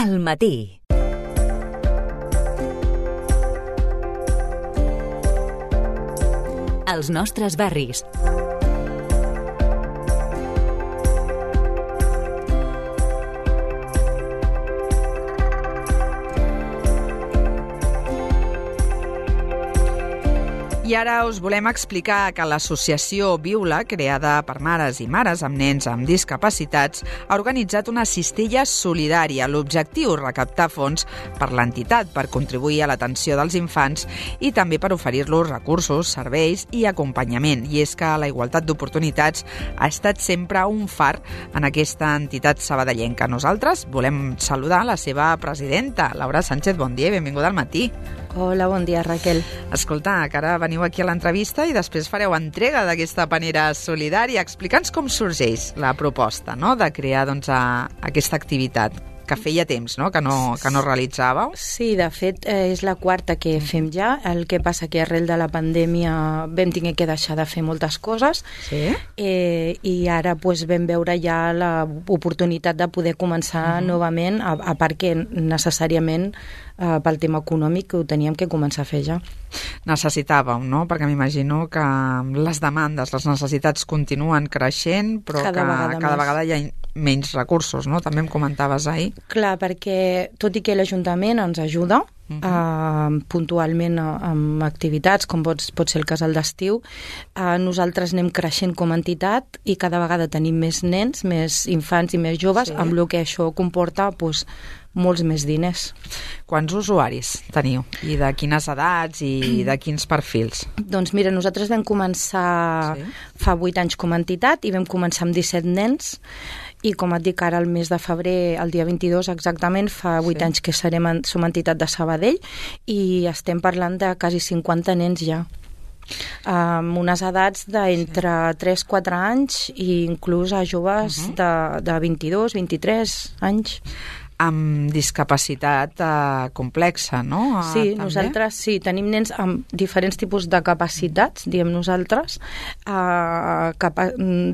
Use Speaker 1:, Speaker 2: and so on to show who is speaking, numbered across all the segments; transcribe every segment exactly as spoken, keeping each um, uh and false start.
Speaker 1: Al matí. Els nostres barris.
Speaker 2: I ara us volem explicar que l'associació Viula, creada per mares i mares amb nens amb discapacitats, ha organitzat una cistella solidària. L'objectiu, recaptar fons per l'entitat per contribuir a l'atenció dels infants i també per oferir-los recursos, serveis i acompanyament. I és que la igualtat d'oportunitats ha estat sempre un far en aquesta entitat sabadellenca. Nosaltres volem saludar la seva presidenta, Laura Sánchez. Bon dia i benvinguda al matí.
Speaker 3: Hola, bon dia, Raquel.
Speaker 2: Escolta, que ara veniu aquí a l'entrevista i després fareu entrega d'aquesta panera solidària. Explica'ns com sorgeix la proposta, no?, de crear doncs, a, aquesta activitat que feia temps, no?, que no, que no realitzàveu.
Speaker 3: Sí, de fet, eh, és la quarta que fem ja. El que passa que arrel de la pandèmia vam tenir que deixar de fer moltes coses.
Speaker 2: Sí?
Speaker 3: Eh, I ara pues, vam veure ja l'oportunitat de poder començar uh-huh. novament, a, a part que necessàriament eh, pel tema econòmic ho teníem que començar a fer ja.
Speaker 2: Necessitàveu, no? Perquè m'imagino que les demandes, les necessitats continuen creixent, però
Speaker 3: cada
Speaker 2: que
Speaker 3: vegada
Speaker 2: cada
Speaker 3: més.
Speaker 2: vegada hi ha menys recursos, no? També em comentaves ahir.
Speaker 3: Clar, perquè tot i que l'Ajuntament ens ajuda uh-huh. eh, puntualment amb activitats, com pot, pot ser el casal d'estiu, eh, nosaltres anem creixent com a entitat i cada vegada tenim més nens, més infants i més joves, sí. amb el que això comporta doncs, molts més diners.
Speaker 2: Quants usuaris teniu? I de quines edats i de quins perfils?
Speaker 3: Doncs mira, nosaltres vam començar sí. fa vuit anys com a entitat i vam començar amb disset nens i com et dic ara el mes de febrer, el dia vint-i-dos exactament, fa vuit sí. anys que serem en, som entitat de Sabadell i estem parlant de quasi cinquanta nens ja. Amb unes edats d'entre sí. tres a quatre anys i inclús a joves uh-huh. de, de vint-i-dos a vint-i-tres anys.
Speaker 2: Amb discapacitat eh, complexa, no? Eh,
Speaker 3: sí,
Speaker 2: també?
Speaker 3: nosaltres sí, tenim nens amb diferents tipus de capacitats, diem nosaltres, eh, capa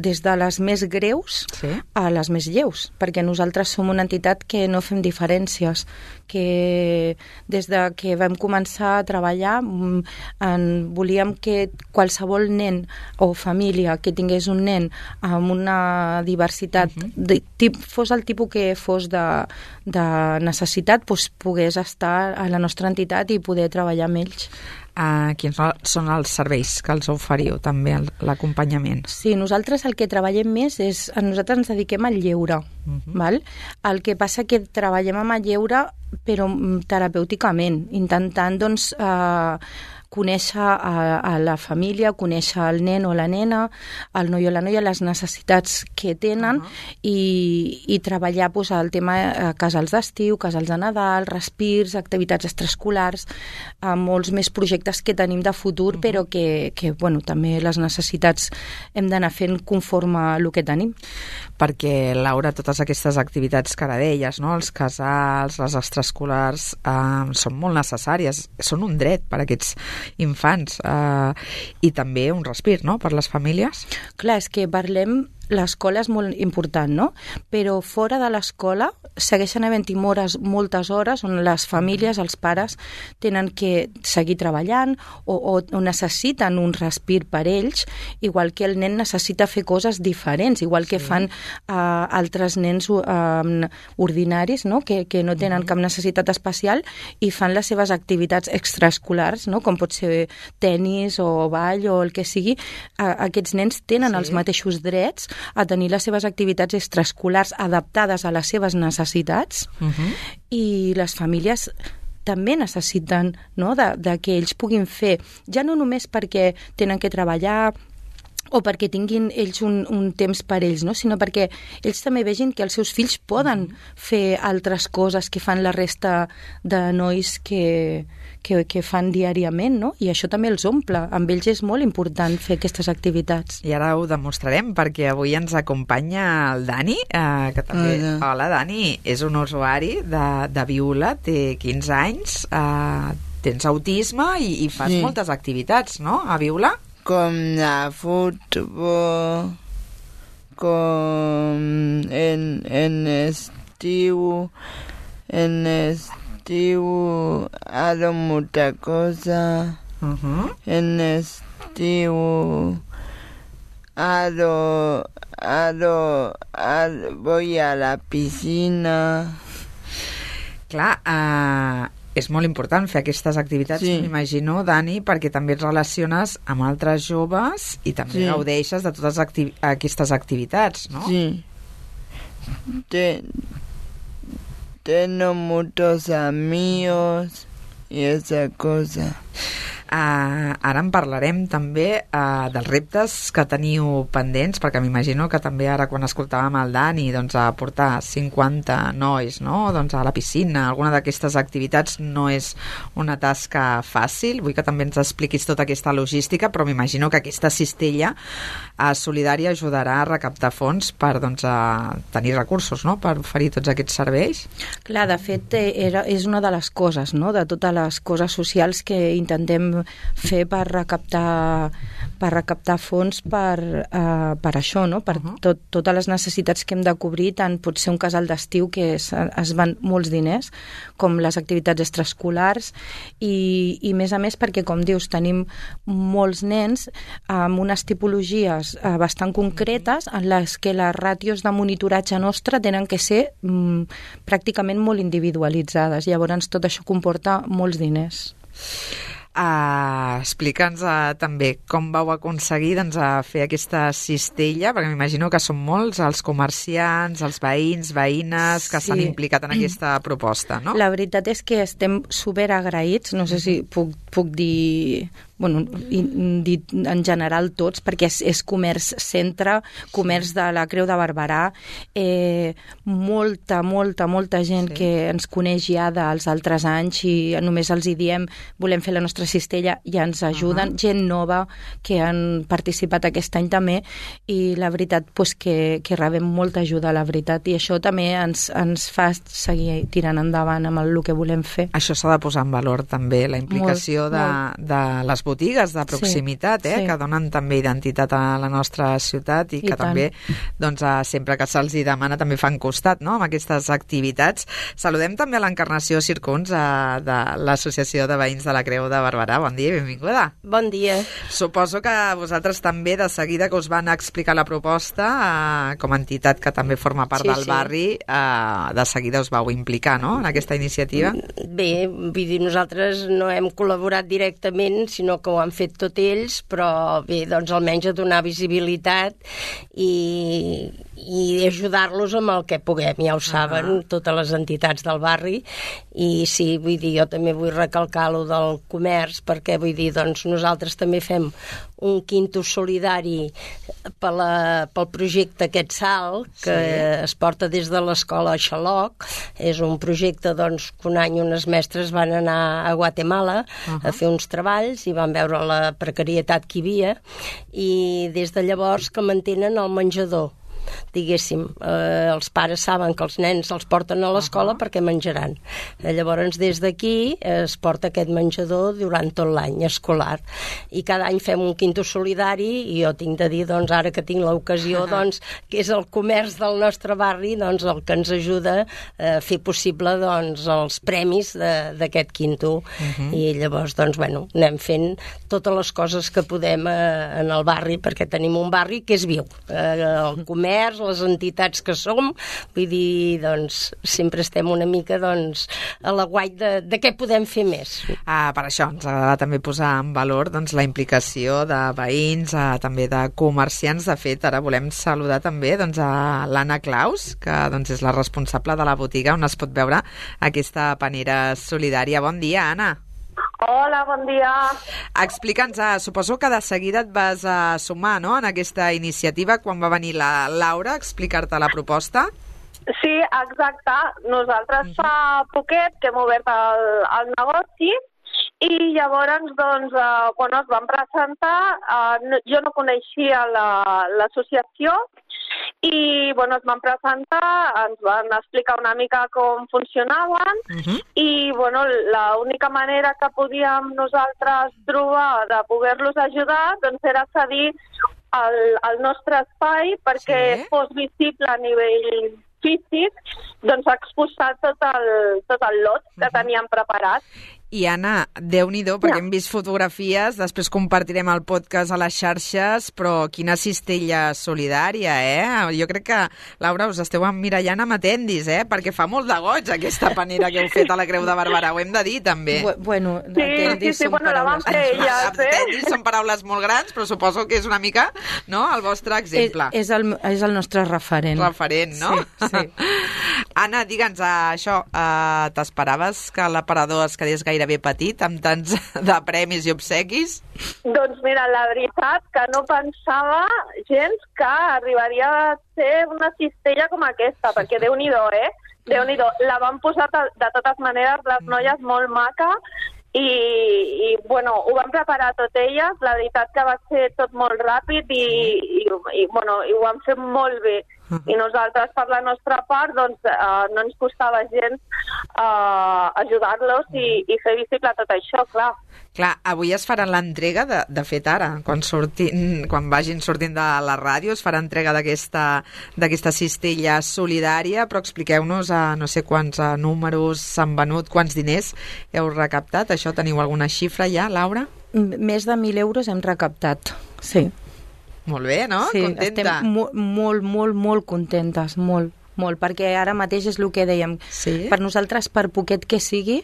Speaker 3: des de les més greus sí. a les més lleus, perquè nosaltres som una entitat que no fem diferències, que des de que vam començar a treballar en, volíem que qualsevol nen o família que tingués un nen amb una diversitat, uh-huh. de, tip, fos el tipus que fos de de necessitat, doncs, pogués estar a la nostra entitat i poder treballar amb ells.
Speaker 2: Uh, quins són els serveis que els oferiu, també, l'acompanyament?
Speaker 3: Sí, nosaltres el que treballem més és... Nosaltres ens dediquem al lleure, uh-huh. val? El que passa que treballem amb el lleure, però terapèuticament, intentant, doncs, eh, conèixer a, a la família, conèixer el nen o la nena, el noi o la noia, les necessitats que tenen uh-huh. i, i treballar doncs, el tema eh, casals d'estiu, casals de Nadal, respirs, activitats extraescolars, eh, molts més projectes que tenim de futur, uh-huh. però que, que bueno, també les necessitats hem d'anar fent conforme el que tenim.
Speaker 2: Perquè, Laura, totes aquestes activitats que ara deies, no? Els casals, les extraescolars, eh, són molt necessàries, són un dret per a aquests infants eh, i també un respir, no?, per les famílies.
Speaker 3: Clar, és que parlem... L'escola és molt important, no? Però fora de l'escola segueixen havent-hi hores, moltes hores on les famílies, els pares, tenen que seguir treballant o, o, o necessiten un respir per ells, igual que el nen necessita fer coses diferents, igual que sí. fan uh, altres nens uh, ordinaris, no? Que, que no tenen mm. cap necessitat especial i fan les seves activitats extraescolars, no? Com pot ser tenis o ball o el que sigui. Uh, aquests nens tenen sí. els mateixos drets a tenir les seves activitats extraescolars adaptades a les seves necessitats uh-huh. i les famílies també necessiten, no?, de, de que ells puguin fer, ja no només perquè tenen que treballar o perquè tinguin ells un, un temps per ells, no? Sinó perquè ells també vegin que els seus fills poden mm-hmm. fer altres coses que fan la resta de nois que, que, que fan diàriament, no? I això també els omple. Amb ells és molt important fer aquestes activitats.
Speaker 2: I ara ho demostrarem, perquè avui ens acompanya el Dani, eh, que també... Hola. Hola, Dani. És un usuari de, de Viula, té quinze anys, eh, tens autisme i, i fas sí. moltes activitats, no?, a Viula?
Speaker 4: Com la futbol, com en, en estiu, en estiu hago mucha cosa.
Speaker 2: Uh-huh.
Speaker 4: En estiu hago, hago, hago, voy a la piscina.
Speaker 2: Clar, uh, és molt important fer aquestes activitats,
Speaker 4: sí.
Speaker 2: m'imagino, Dani, perquè també et relaciones amb altres joves i també
Speaker 4: sí.
Speaker 2: gaudeixes de totes acti- aquestes activitats, no?
Speaker 4: Sí. Te, tengo muchos amigos y esa cosa.
Speaker 2: Uh, ara en parlarem també uh, dels reptes que teniu pendents, perquè m'imagino que també ara quan escoltàvem el Dani, doncs a portar cinquanta nois, no?, doncs a la piscina, alguna d'aquestes activitats no és una tasca fàcil. Vull que també ens expliquis tota aquesta logística, però m'imagino que aquesta cistella uh, solidària ajudarà a recaptar fons per, doncs, a tenir recursos, no?, per oferir tots aquests serveis.
Speaker 3: Clar, de fet, era, és una de les coses, no?, de totes les coses socials que intentem fer per recaptar per recaptar fons per, uh, per això, no? Per uh-huh. tot, totes les necessitats que hem de cobrir, tant pot ser un casal d'estiu que es, es van molts diners, com les activitats extraescolars i, i més a més perquè, com dius, tenim molts nens amb unes tipologies uh, bastant concretes en les que les ràtios de monitoratge nostre tenen que ser mm, pràcticament molt individualitzades. Llavors tot això comporta molts diners.
Speaker 2: Uh, Explica'ns uh, també com vau aconseguir, doncs, a fer aquesta cistella, perquè m'imagino que són molts els comerciants, els veïns, veïnes que s'han
Speaker 3: sí.
Speaker 2: implicat en aquesta proposta, no?
Speaker 3: La veritat és que estem superagraïts, no sé si puc, puc dir... bueno, dit en general tots, perquè és, és comerç centre, comerç de la Creu de Barberà, eh, molta, molta, molta gent sí. que ens coneix ja dels altres anys i només els hi diem volem fer la nostra cistella i ja ens ajuden, uh-huh. gent nova que han participat aquest any també i la veritat pues, que, que rebem molta ajuda, la veritat, i això també ens, ens fa seguir tirant endavant amb el, el que volem fer.
Speaker 2: Això s'ha de posar en valor també, la implicació molt, de, molt. de les botigues de proximitat, sí, eh, sí. que donen també identitat a la nostra ciutat i, I que tant. també, doncs, sempre que se'ls hi demana també fan costat, no?, amb aquestes activitats. Saludem també a l'Encarnació Circuns eh, de l'Associació de Veïns de la Creu de Barberà. Bon dia i benvinguda.
Speaker 5: Bon dia.
Speaker 2: Suposo que vosaltres també, de seguida que us van explicar la proposta, eh, com a entitat que també forma part sí, del sí. barri, eh, de seguida us vau implicar, no?, en aquesta iniciativa.
Speaker 5: Bé, vull dir, nosaltres no hem col·laborat directament, sinó que ho han fet tot ells, però bé, doncs almenys a donar visibilitat i, i ajudar-los amb el que puguem, ja ho saben, uh-huh. totes les entitats del barri, i sí, vull dir, jo també vull recalcar lo del comerç, perquè vull dir, doncs nosaltres també fem un quinto solidari per la, pel projecte aquest salt, que sí. es porta des de l'escola Xaloc. És un projecte doncs, que un any unes mestres van anar a Guatemala uh-huh. a fer uns treballs i van veure la precarietat que hi havia, i des de llavors que mantenen el menjador. Diguéssim, eh, els pares saben que els nens els porten a l'escola uh-huh. perquè menjaran. Eh, llavors, des d'aquí es porta aquest menjador durant tot l'any escolar. I cada any fem un quinto solidari, i jo tinc de dir, doncs, ara que tinc l'ocasió, uh-huh. doncs, que és el comerç del nostre barri, doncs, el que ens ajuda a fer possible, doncs, els premis d'aquest quinto. Uh-huh. I llavors, doncs, bueno, anem fent totes les coses que podem eh, en el barri, perquè tenim un barri que és viu. Eh, el comerç, les entitats que som, vull dir, doncs, sempre estem una mica, doncs, a l'aguait de, de què podem fer més.
Speaker 2: Ah, per això ens agrada també posar en valor, doncs, la implicació de veïns, eh, també de comerciants. De fet, ara volem saludar també, doncs, a l'Anna Claus, que, doncs, és la responsable de la botiga on es pot veure aquesta panera solidària. Bon dia, Anna.
Speaker 6: Hola, bon dia.
Speaker 2: Explica'ns, ah, suposo que de seguida et vas a sumar, no?, en aquesta iniciativa quan va venir la Laura a explicar-te la proposta.
Speaker 6: Sí, exacte. Nosaltres uh-huh. fa poquet que hem obert el, el negoci i llavors, doncs, eh, quan es van presentar, eh, no, jo no coneixia l'associació, la, i, bueno, es van presentar, ens van explicar una mica com funcionaven uh-huh. i, bueno, l'única manera que podíem nosaltres trobar de poder-los ajudar, doncs, era cedir el, el nostre espai perquè sí. fos visible a nivell físic, doncs ha exposat tot el, tot el lot que uh-huh. teníem preparat.
Speaker 2: I Anna, Déu-n'hi-do, perquè ja. hem vist fotografies, després compartirem el podcast a les xarxes, però quina cistella solidària, eh? Jo crec que, Laura, us esteu emmirallant amb atendis, eh? Perquè fa molt de goig aquesta panera que heu fet a la Creu de Barberà, ho hem de dir, també.
Speaker 3: Bueno,
Speaker 6: sí,
Speaker 3: atendis
Speaker 6: sí, sí,
Speaker 3: són
Speaker 6: bueno,
Speaker 3: paraules...
Speaker 6: La vam fer ella,
Speaker 2: atendis són paraules molt grans, però suposo que és una mica, no?, el vostre exemple.
Speaker 3: És, és, el, és el nostre referent.
Speaker 2: Referent, no?
Speaker 3: Sí, sí.
Speaker 2: Anna, digue'ns, uh, això, uh, t'esperaves que l'aparador es quedés gairebé petit amb tants de premis i obsequis?
Speaker 6: Doncs mira, la veritat que no pensava gens que arribaria a ser una cistella com aquesta, perquè Déu-n'hi-do, eh? Déu-n'hi-do. La van posar de totes maneres les noies molt maca i, i bueno, ho van preparar tot elles, la veritat que va ser tot molt ràpid i, i, i, bueno, i ho van fer molt bé. I nosaltres, per la nostra part, doncs, eh, no ens costava gens eh, ajudar-los i, i fer visible tot això, clar.
Speaker 2: Clar, avui es farà l'entrega, de, de fet ara, quan, sortin, quan vagin sortint de la ràdio, es farà entrega d'aquesta d'aquesta cistella solidària, però expliqueu-nos a no sé quants a, números s'han venut, quants diners heu recaptat. Això teniu alguna xifra ja, Laura?
Speaker 3: Més de mil euros hem recaptat, sí.
Speaker 2: Molt bé, no?
Speaker 3: Sí,
Speaker 2: contenta.
Speaker 3: estem mo molt, molt, molt contentes, molt, molt, perquè ara mateix és el que dèiem.
Speaker 2: Sí?
Speaker 3: Per nosaltres, per poquet que sigui,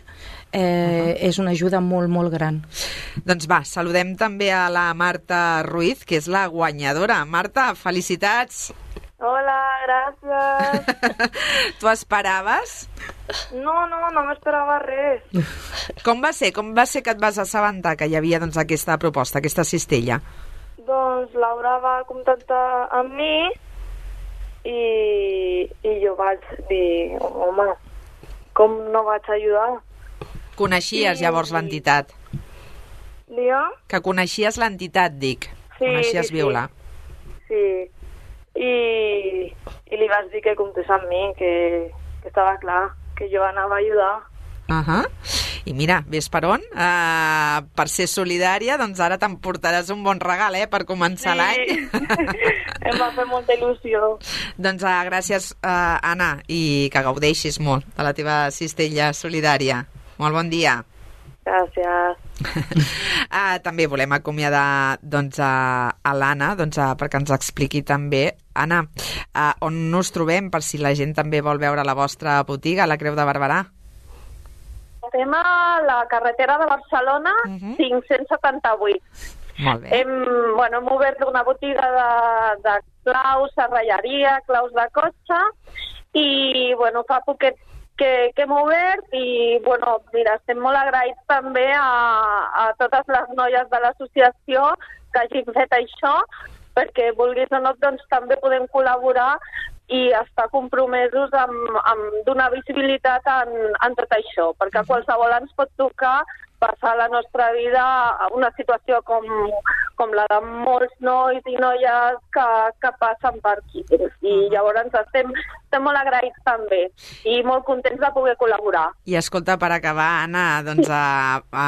Speaker 3: eh, uh-huh. és una ajuda molt, molt gran.
Speaker 2: Doncs va, saludem també a la Marta Ruiz, que és la guanyadora. Marta, felicitats!
Speaker 7: Hola, gràcies!
Speaker 2: Tu esperaves?
Speaker 7: No, no, no m'esperava res.
Speaker 2: Com va ser? Com va ser que et vas assabentar que hi havia doncs, aquesta proposta, aquesta cistella?
Speaker 7: Doncs Laura va contactar amb mi i, i jo vaig dir, home, com no vaig ajudar?
Speaker 2: Coneixies I... llavors l'entitat?
Speaker 7: Digue'm?
Speaker 2: Que coneixies l'entitat, dic.
Speaker 7: Sí,
Speaker 2: coneixies
Speaker 7: sí,
Speaker 2: Viola.
Speaker 7: Sí, I, i li vaig dir que comptés amb mi, que, que estava clar, que jo anava a ajudar.
Speaker 2: Uh-huh. I mira, ves per on? Uh, per ser solidària, doncs ara t'emportaràs un bon regal, eh?, per començar
Speaker 7: sí.
Speaker 2: l'any.
Speaker 7: Em va fer molta il·lusió.
Speaker 2: Doncs uh, gràcies, uh, Anna, i que gaudeixis molt de la teva cistella solidària. Molt bon dia.
Speaker 7: Gràcies.
Speaker 2: uh, també volem acomiadar doncs, a, a l'Anna doncs, uh, perquè ens expliqui també. Anna, uh, on us trobem per si la gent també vol veure la vostra botiga, la Creu de Barberà?
Speaker 6: Estem a la carretera de Barcelona, uh-huh. cinc-cents setanta-vuit.
Speaker 2: Molt bé.
Speaker 6: Hem, bueno, hem obert una botiga de, de claus, serralleria, claus de cotxe, i bueno, fa poquet que, que hem obert i bueno, mira, estem molt agraïts també a, a totes les noies de l'associació que hagin fet això, perquè vulguis o no, doncs també podem col·laborar i estar compromesos amb, amb donar visibilitat en, en tot això, perquè qualsevol ens pot tocar passar la nostra vida a una situació com, com la de molts nois i noies que, que passen per aquí. I llavors estem, estem molt agraïts també i molt contents de poder col·laborar.
Speaker 2: I escolta, per acabar, Anna, doncs a, a,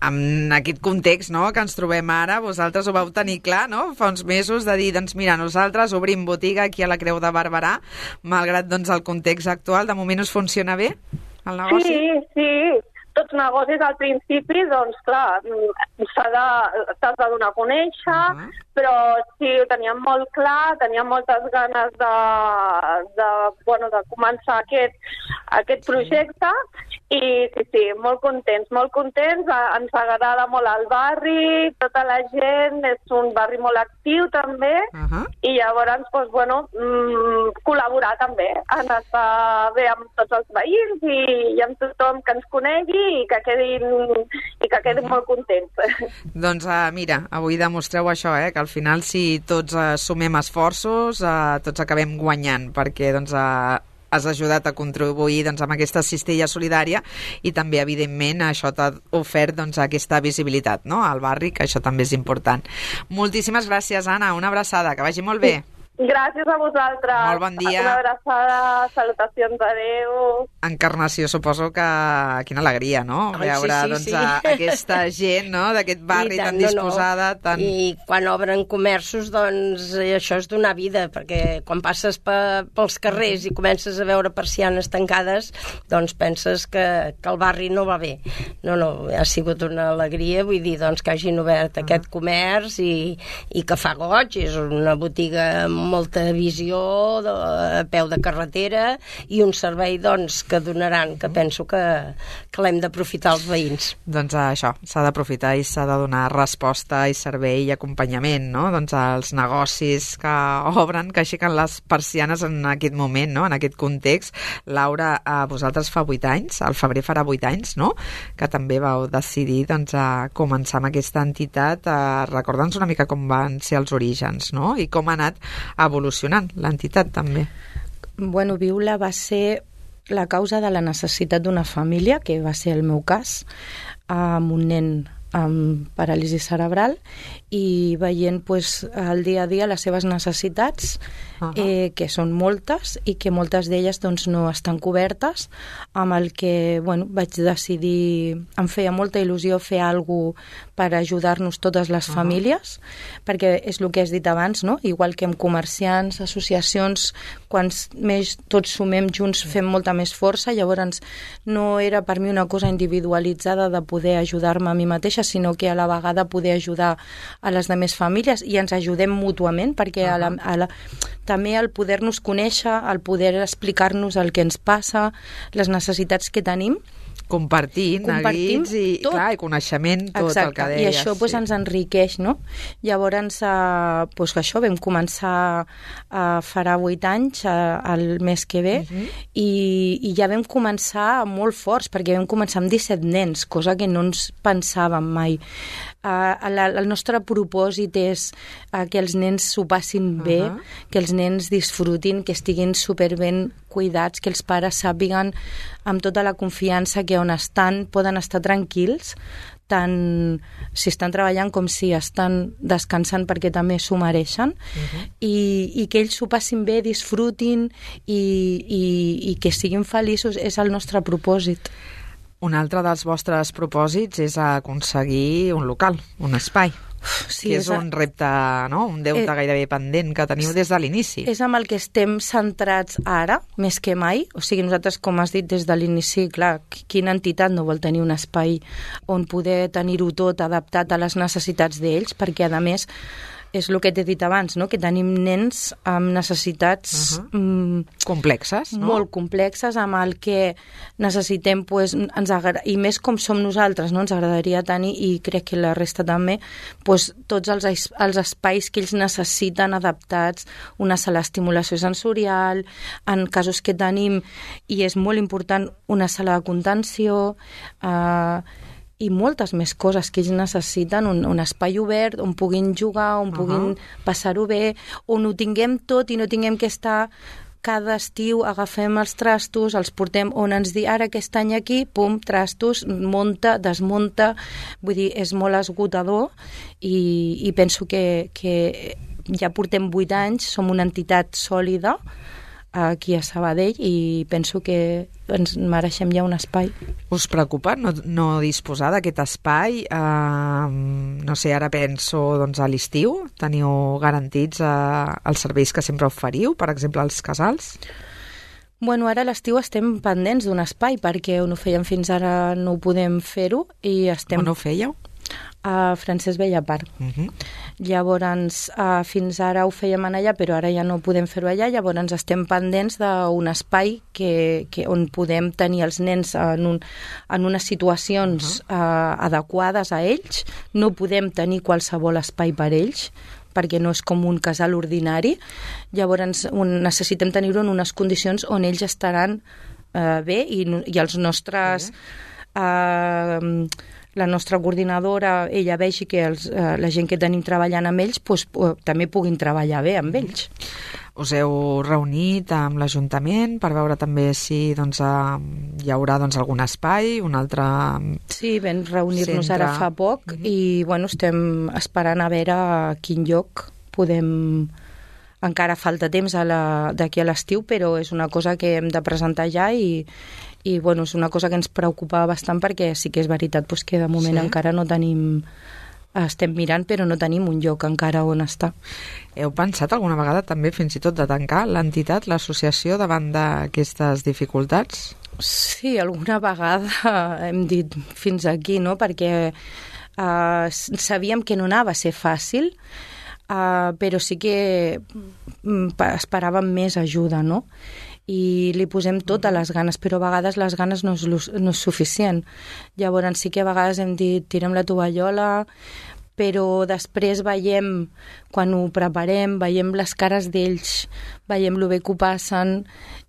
Speaker 2: en aquest context, no?, que ens trobem ara, vosaltres ho vau tenir clar, no?, fa uns mesos, de dir, doncs mira, nosaltres obrim botiga aquí a la Creu de Barberà, malgrat doncs el context actual. De moment us funciona bé el negoci?
Speaker 6: Sí, sí. Tots negocis al principi, doncs clar, s'ha de, t'has de donar a conèixer, uh-huh. però sí, ho teníem molt clar, teníem moltes ganes de, de, bueno, de començar aquest, aquest projecte i sí, sí, molt contents, molt contents, ens agrada molt el barri, tota la gent, és un barri molt actiu també, uh-huh. i llavors, doncs, bueno, mmm, col·laborar també, en estar bé amb tots els veïns i, i amb tothom que ens conegui i que quedin, i que quedin molt contents.
Speaker 2: Doncs uh, mira, avui demostreu això, eh, que al final si tots uh, sumem esforços, uh, tots acabem guanyant, perquè doncs, uh, has ajudat a contribuir doncs, amb aquesta cistella solidària i també, evidentment, això t'ha ofert doncs, aquesta visibilitat, no?, al barri, que això també és important. Moltíssimes gràcies, Anna, una abraçada, que vagi molt bé.
Speaker 6: Gràcies a vosaltres.
Speaker 2: Molt bon dia.
Speaker 6: Una abraçada, salutacions, adeu.
Speaker 2: Encarnació, suposo que quina alegria, no?
Speaker 5: Ai,
Speaker 2: Veure
Speaker 5: sí, sí,
Speaker 2: doncs,
Speaker 5: sí.
Speaker 2: a, aquesta gent, no?, d'aquest barri
Speaker 5: tant,
Speaker 2: tan disposada.
Speaker 5: No, no.
Speaker 2: Tan...
Speaker 5: I quan obren comerços, doncs això és donar vida, perquè quan passes pe, pels carrers i comences a veure persianes tancades, doncs penses que, que el barri no va bé. No, no, ha sigut una alegria, vull dir, doncs que hagin obert aquest comerç i, i que fa goig, és una botiga amb molta visió, de, a peu de carretera, i un servei doncs, que donaran, que penso que, que l'hem d'aprofitar els veïns.
Speaker 2: Doncs això, s'ha d'aprofitar i s'ha de donar resposta i servei i acompanyament, no?, doncs als negocis que obren, que aixequen les persianes en aquest moment, no?, en aquest context. Laura, a vosaltres fa vuit anys, al febrer farà vuit anys, no?, que també vau decidir doncs, a començar amb aquesta entitat. Recorda'ns una mica com van ser els orígens, no?, i com ha anat evolucionant l'entitat també.
Speaker 3: Bueno, Viula va ser la causa de la necessitat d'una família, que va ser el meu cas, amb un nen amb paràlisi cerebral, i veient pues, el dia a dia les seves necessitats, uh-huh. eh, que són moltes i que moltes d'elles doncs, no estan cobertes, amb el que bueno, vaig decidir, em feia molta il·lusió fer alguna cosa per ajudar-nos totes les uh-huh. famílies, perquè és el que has dit abans, no? Igual que amb comerciants, associacions, quan més tots sumem junts fem molta més força. Llavors no era per mi una cosa individualitzada de poder ajudar-me a mi mateixa, sinó que a la vegada poder ajudar a les demés famílies i ens ajudem mútuament, perquè uh-huh. a la, a la, també el poder-nos conèixer, el poder explicar-nos el que ens passa, les necessitats que tenim,
Speaker 2: compartint,
Speaker 3: compartim
Speaker 2: neguits i,
Speaker 3: tot.
Speaker 2: clar, i coneixement, tot
Speaker 3: Exacte.
Speaker 2: El que deies.
Speaker 3: I això pues,
Speaker 2: sí.
Speaker 3: ens enriqueix, no? Llavors, eh, pues, això, vam començar eh, farà vuit anys, eh, el mes que ve, uh-huh. i, i ja vam començar molt forts, perquè vam començar amb disset nens, cosa que no ens pensàvem mai. Uh, la, el nostre propòsit és uh, que els nens s'ho passin bé, uh-huh. que els nens disfrutin, que estiguin superben cuidats, que els pares sàpiguen amb tota la confiança que on estan poden estar tranquils, tant si estan treballant com si estan descansant, perquè també s'ho mereixen, uh-huh. i, i que ells s'ho passin bé, disfrutin i, i, i que siguin feliços, és el nostre propòsit.
Speaker 2: Un altre dels vostres propòsits és aconseguir un local, un espai. Sí, que és, és un repte, no? Un deute eh, gairebé pendent que teniu des de l'inici.
Speaker 3: És amb el que estem centrats ara, més que mai. O sigui, nosaltres, com has dit des de l'inici, clar, quina entitat no vol tenir un espai on poder tenir-ho tot adaptat a les necessitats d'ells, perquè, a més, és el que t'he dit abans, no? Que tenim nens amb necessitats uh-huh. mm,
Speaker 2: complexes, no?
Speaker 3: Molt complexes, amb el que necessitem, pues, ens agra- i més com som nosaltres, no? Ens agradaria tenir, i crec que la resta també, pues, tots els, els espais que ells necessiten adaptats, una sala d'estimulació sensorial, en casos que tenim, i és molt important, una sala de contenció, eh, i moltes més coses que ells necessiten, un, un espai obert on puguin jugar, on uh-huh. puguin passar-ho bé, on ho tinguem tot i no tinguem que estar cada estiu, agafem els trastos, els portem on ens di, ara aquest any aquí, pum, trastos, monta, desmunta, vull dir, és molt esgotador, i, i penso que, que ja portem vuit anys, som una entitat sòlida aquí a Sabadell, i penso que ens mereixem ja un espai.
Speaker 2: Us preocupa no, no disposar d'aquest espai? Uh, no sé, ara penso doncs, a l'estiu. Teniu garantits uh, els serveis que sempre oferiu, per exemple, als casals?
Speaker 3: Bueno, ara a l'estiu estem pendents d'un espai, perquè on ho fèiem fins ara no ho podem fer-ho, i estem...
Speaker 2: On ho fèieu?
Speaker 3: A Francesc Bellapar. Uh-huh. Llavors, uh, fins ara ho fèiem en allà, però ara ja no podem fer-ho allà, llavors estem pendents d'un espai que, que, on podem tenir els nens en, un, en unes situacions uh-huh. uh, adequades a ells. No podem tenir qualsevol espai per ells, perquè no és com un casal ordinari. Llavors un, necessitem tenir-ho en unes condicions on ells estaran uh, bé, i, i els nostres... Uh, la nostra coordinadora, ella vegi que els, eh, la gent que tenim treballant amb ells pues, eh, també puguin treballar bé amb ells.
Speaker 2: Us heu reunit amb l'Ajuntament per veure també si doncs, eh, hi haurà doncs, algun espai, un altre...
Speaker 3: Sí, vam reunir-nos
Speaker 2: centre.
Speaker 3: Ara fa poc, mm-hmm. i bueno, estem esperant a veure a quin lloc podem encara falta temps d'aquí a l'estiu, però és una cosa que hem de presentar ja i, i bueno, és una cosa que ens preocupa bastant perquè sí que és veritat pues, que de moment sí. encara no tenim... Estem mirant, però no tenim un lloc encara on estar.
Speaker 2: Heu pensat alguna vegada també fins i tot de tancar l'entitat, l'associació, davant d'aquestes dificultats?
Speaker 3: Sí, alguna vegada hem dit fins aquí, no? Perquè uh, sabíem que no anava a ser fàcil, uh, però sí que esperàvem més ajuda, no? I li posem totes les ganes, però a vegades les ganes no és, no és suficient. Llavors sí que a vegades hem dit tirem la tovallola, però després veiem, quan ho preparem, veiem les cares d'ells, veiem lo bé que ho passen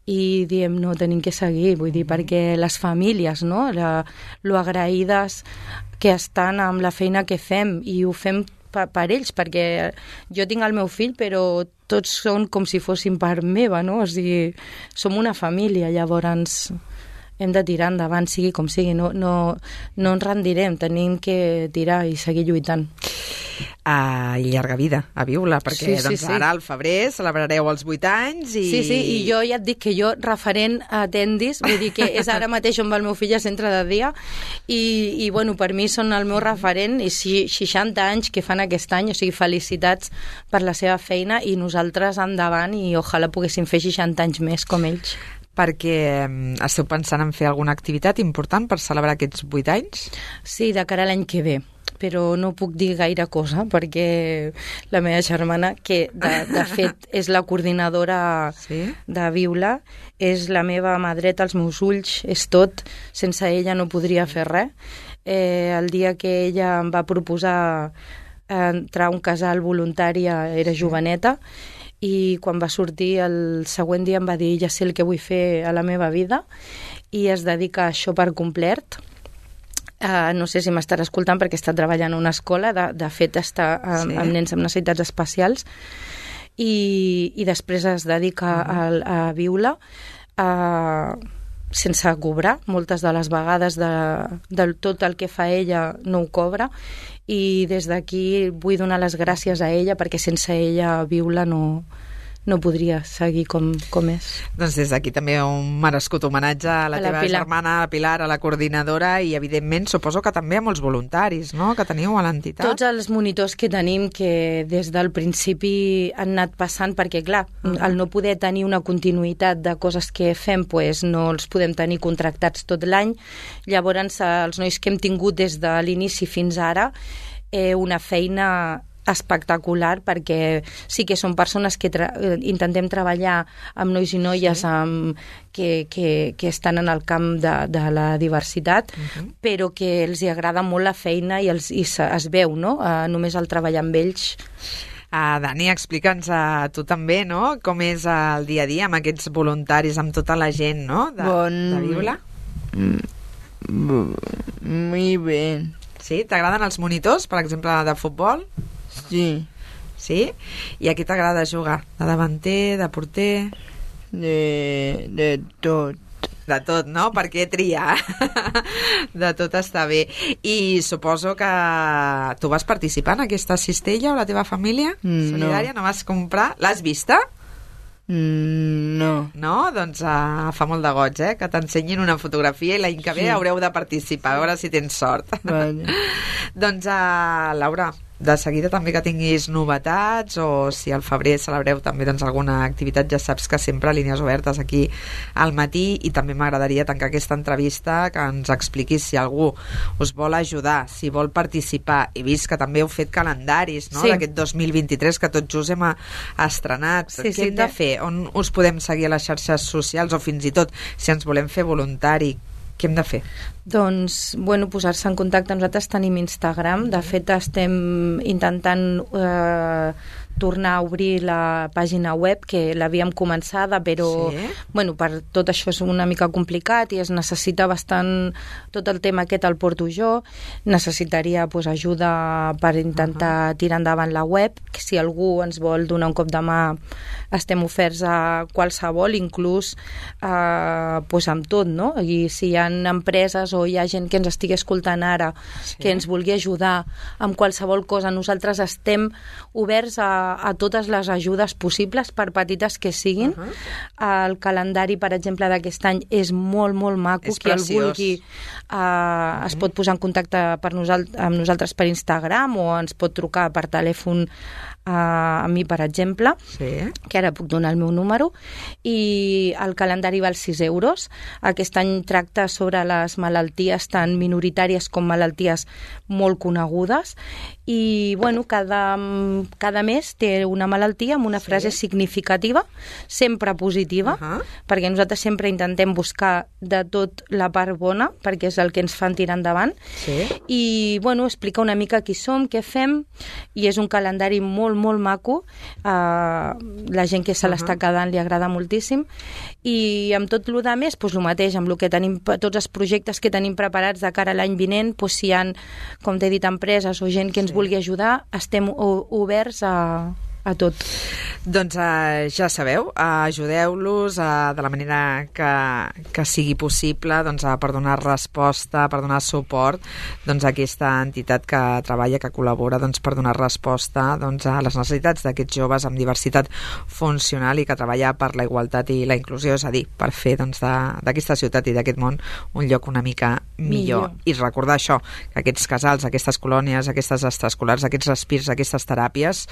Speaker 3: i diem, no, tenim que seguir, vull dir, perquè les famílies, no?, la, lo agraïdes que estan amb la feina que fem i ho fem per, per ells, perquè jo tinc el meu fill, però tots són com si fossin part meva, no? O sigui, som una família, llavors hem de tirar endavant, sigui com sigui, no, no, no ens rendirem, tenim que tirar i seguir lluitant.
Speaker 2: Uh, I llarga vida a Viula, perquè
Speaker 3: sí, sí,
Speaker 2: doncs,
Speaker 3: sí.
Speaker 2: ara al febrer celebrareu els vuit anys i...
Speaker 3: Sí, sí, i jo ja et dic que jo referent a Tendis, vull dir que és ara mateix on va el meu fill a centre de dia i, i bueno, per mi són el meu referent i si, seixanta anys que fan aquest any, o sigui, felicitats per la seva feina i nosaltres endavant i ojalà poguéssim fer seixanta anys més com ells.
Speaker 2: Perquè esteu pensant en fer alguna activitat important per celebrar aquests vuit anys?
Speaker 3: Sí, de cara a l'any que ve, però no puc dir gaire cosa perquè la meva germana, que de, de fet és la coordinadora sí? de Viula, és la meva mà dreta, els meus ulls, és tot, sense ella no podria fer res. Eh, el dia que ella em va proposar entrar a un casal voluntari era joveneta, i quan va sortir el següent dia em va dir ja sé el que vull fer a la meva vida i es dedica a això per complet. Uh, no sé si m'estarà escoltant perquè està treballant a una escola, de, de fet està amb, sí. amb nens amb necessitats especials i, i després es dedica uh-huh. a, a Viula uh, sense cobrar, moltes de les vegades de, de tot el que fa ella no ho cobra i des d'aquí vull donar les gràcies a ella perquè sense ella Viula no, no podria seguir com, com és.
Speaker 2: Doncs des d'aquí també un merescut homenatge a la, a la teva Pilar. germana, a la Pilar, a la coordinadora i evidentment suposo que també a molts voluntaris, no?, que teniu a l'entitat.
Speaker 3: Tots els monitors que tenim que des del principi han anat passant perquè clar, uh-huh. al no poder tenir una continuïtat de coses que fem pues, no els podem tenir contractats tot l'any, llavors els nois que hem tingut des de l'inici fins ara eh, una feina espectacular perquè sí que són persones que tra intentem treballar amb nois i noies sí. amb, que, que, que estan en el camp de, de la diversitat uh-huh. però que els hi agrada molt la feina i, els, i es, es veu, no? Uh, només el treballar amb ells.
Speaker 2: Uh, Dani, explica'ns a tu també, no?, com és el dia a dia amb aquests voluntaris, amb tota la gent, no?, de, bon... de Viula.
Speaker 4: Muy bien.
Speaker 2: Sí? T'agraden els monitors, per exemple, de futbol?
Speaker 4: Sí.
Speaker 2: Sí? I a qui t'agrada jugar? De davanter, de porter?
Speaker 4: De, de tot.
Speaker 2: De tot, no? Per què triar? De tot està bé. I suposo que tu vas participar en aquesta cistella o la teva família solidària? No, no vas comprar? L'has vista?
Speaker 4: No.
Speaker 2: No? Doncs uh, fa molt de goig, eh? Que t'ensenyin una fotografia i l'any que ve sí. haureu de participar, a veure si tens sort.
Speaker 4: Vale.
Speaker 2: Doncs, uh, Laura, de seguida també que tinguis novetats o si al febrer celebreu també doncs, alguna activitat, ja saps que sempre línies obertes aquí al matí i també m'agradaria tancar aquesta entrevista que ens expliquis si algú us vol ajudar, si vol participar. He vist que també heu fet calendaris, no?, sí. d'aquest dos mil vint-i-tres que tot just hem estrenat. Sí, Què sí, hem de fer? On us podem seguir a les xarxes socials o fins i tot si ens volem fer voluntari? Què hem de fer?
Speaker 3: Doncs, bueno, posar-se en contacte. Nosaltres tenim Instagram. De fet, estem intentant eh, tornar a obrir la pàgina web, que l'havíem començada, però sí. bueno, per tot això és una mica complicat i es necessita bastant... Tot el tema aquest el porto jo. Necessitaria pues, ajuda per intentar uh-huh. tirar endavant la web. Que si algú ens vol donar un cop de mà, estem oferts a qualsevol, inclús eh, pues, amb tot, no? I si hi ha empreses o hi ha gent que ens estigui escoltant ara, sí. que ens vulgui ajudar amb qualsevol cosa, nosaltres estem oberts a, a totes les ajudes possibles, per petites que siguin. Uh -huh. El calendari, per exemple, d'aquest any és molt, molt maco.
Speaker 2: És
Speaker 3: qui
Speaker 2: preciós.
Speaker 3: el vulgui uh, uh -huh. es pot posar en contacte per nosal- amb nosaltres per Instagram o ens pot trucar per telèfon a mi, per exemple,
Speaker 2: sí.
Speaker 3: que ara puc donar el meu número, i el calendari val sis euros. Aquest any tracta sobre les malalties tant minoritàries com malalties molt conegudes, i bueno, cada, cada mes té una malaltia amb una sí. frase significativa, sempre positiva, uh -huh. perquè nosaltres sempre intentem buscar de tot la part bona, perquè és el que ens fan tirar endavant,
Speaker 2: sí.
Speaker 3: i bueno, explica una mica qui som, què fem, i és un calendari molt, molt maco. Uh, la gent que se l'està uh -huh. quedant li agrada moltíssim, i amb tot el de més, doncs el mateix, amb lo que tenim, tots els projectes que tenim preparats de cara a l'any vinent, doncs si hi ha, com t'he dit, empreses o gent que ens sí. vulgui ajudar, estem oberts a, a tot.
Speaker 2: Doncs uh, ja sabeu, uh, ajudeu-los uh, de la manera que, que sigui possible, doncs, uh, per donar resposta, per donar suport doncs, a aquesta entitat que treballa, que col·labora doncs, per donar resposta doncs, a les necessitats d'aquests joves amb diversitat funcional i que treballa per la igualtat i la inclusió, és a dir, per fer doncs, d'aquesta ciutat i d'aquest món un lloc una mica millor. millor. I recordar això, que aquests casals, aquestes colònies, aquestes extraescolars, aquests respirs, aquestes teràpies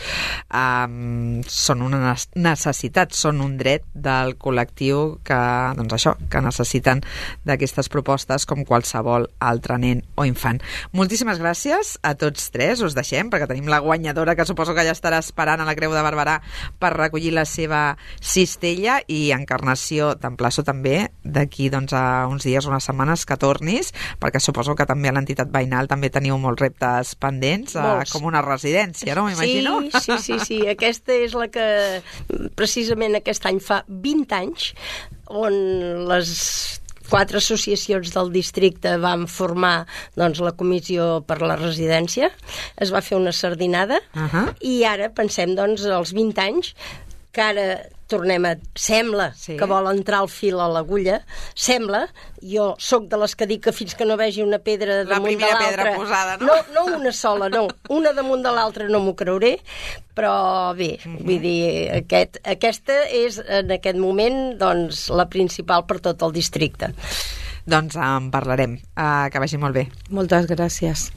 Speaker 2: um, són una necessitat, són un dret del col·lectiu que, doncs això, que necessiten d'aquestes propostes com qualsevol altre nen o infant. Moltíssimes gràcies a tots tres, us deixem perquè tenim la guanyadora que suposo que ja estarà esperant a la Creu de Barberà per recollir la seva cistella, i Encarnació, t'emplaço també d'aquí doncs, a uns dies, unes setmanes que tornis, perquè suposo que també a l'entitat veïnal també teniu molts reptes pendents, eh, com una residència, no? M'imagino.
Speaker 5: Sí, sí, sí, sí, aquesta és la que precisament aquest any fa vint anys, on les quatre associacions del districte van formar doncs, la comissió per la residència, es va fer una sardinada, uh -huh. i ara pensem doncs els vint anys, que ara tornem a... Sembla sí. que vol entrar el fil a l'agulla, sembla, jo sóc de les que dic que fins que no vegi una pedra damunt de l'altra...
Speaker 2: La primera pedra posada, no?
Speaker 5: No, no una sola, no. Una damunt de l'altra no m'ho creuré, però bé, uh -huh. vull dir, aquest, aquesta és en aquest moment doncs, la principal per tot el districte.
Speaker 2: Doncs en parlarem. Uh, que vagi molt bé.
Speaker 3: Moltes gràcies.